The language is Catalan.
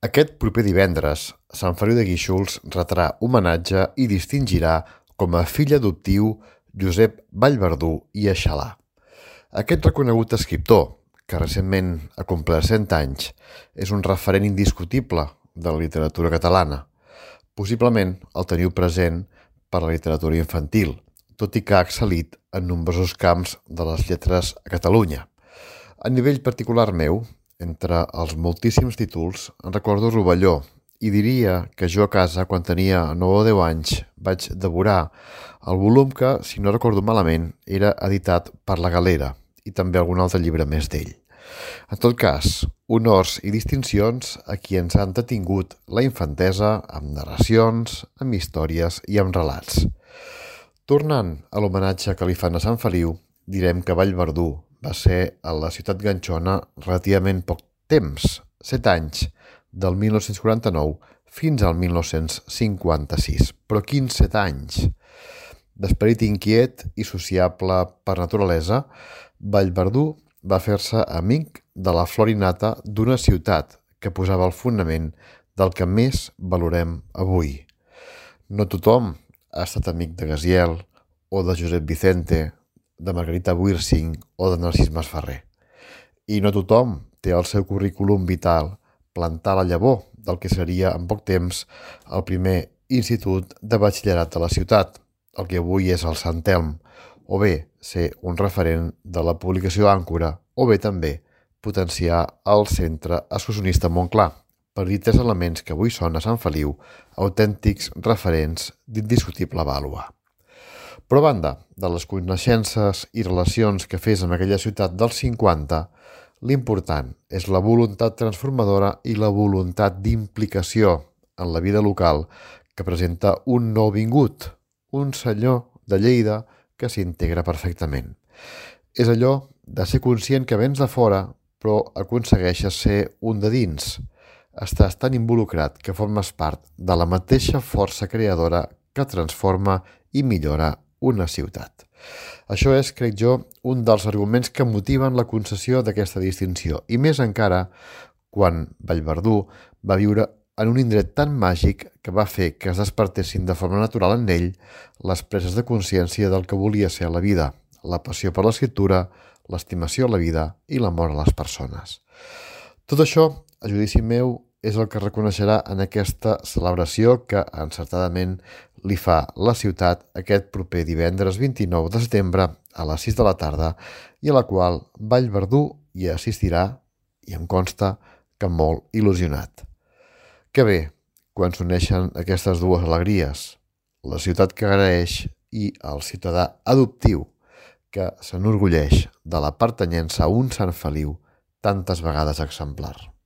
Aquest proper divendres, Sant Feliu de Guíxols retrà homenatge i distingirà com a fill adoptiu Josep Vallverdú i Aixalà. Aquest reconegut escriptor, que recentment ha complert 100 anys, és un referent indiscutible de la literatura catalana. Possiblement el teniu present per la literatura infantil, tot i que ha excel·lit en nombrosos camps de les lletres a Catalunya. A nivell particular meu, entre els moltíssims títols, en recordo Rovelló, i diria que jo a casa, quan tenia 9 o 10 anys, vaig devorar el volum que, si no recordo malament, era editat per La Galera, i també algun altre llibre més d'ell. En tot cas, honors i distincions a qui ens ha entretingut la infantesa amb narracions, amb històries i amb relats. Tornant a l'homenatge que li fan a Sant Feliu, direm que Vallverdú va ser a la ciutat ganxona relativament poc temps, 7 anys, del 1949 fins al 1956. Però quins 7 anys! D'esperit inquiet i sociable per naturalesa, Vallverdú va fer-se amic de la flor innata d'una ciutat que posava el fonament del que més valorem avui. No tothom ha estat amic de Gaziel o de Josep Vicente, de Margarita Wirsing o de Narcís Masferrer. I no tothom té al seu currículum vital plantar la llavor del que seria en poc temps el primer institut de batxillerat de la ciutat, el que avui és el Sant Elm, o bé ser un referent de la publicació Àncora, o bé també potenciar el Centre Excursionista Montclar, per dir 3 elements que avui són a Sant Feliu autèntics referents d'indiscutible vàlua. Però a banda de les coneixences i relacions que fes amb aquella ciutat dels 50, l'important és la voluntat transformadora i la voluntat d'implicació en la vida local que presenta un nouvingut, un senyor de Lleida que s'integra perfectament. És allò de ser conscient que vens de fora però aconsegueixes ser un de dins. Estàs tan involucrat que formes part de la mateixa força creadora que transforma i millora una ciutat. Això és, crec jo, un dels arguments que motiven la concessió d'aquesta distinció, i més encara quan Vallverdú va viure en un indret tan màgic que va fer que es despertessin de forma natural en ell les preses de consciència del que volia ser a la vida, la passió per l'escriptura, l'estimació a la vida i l'amor a les persones. Tot això, a judici meu, és el que reconeixerà en aquesta celebració que encertadament li fa la ciutat aquest proper divendres 29 de setembre a les 6 de la tarda i a la qual Vallverdú hi assistirà i em consta que molt il·lusionat. Que bé, quan s'uneixen aquestes dues alegries, la ciutat que agraeix i el ciutadà adoptiu que s'enorgulleix de la pertanyença a un Sant Feliu tantes vegades exemplar.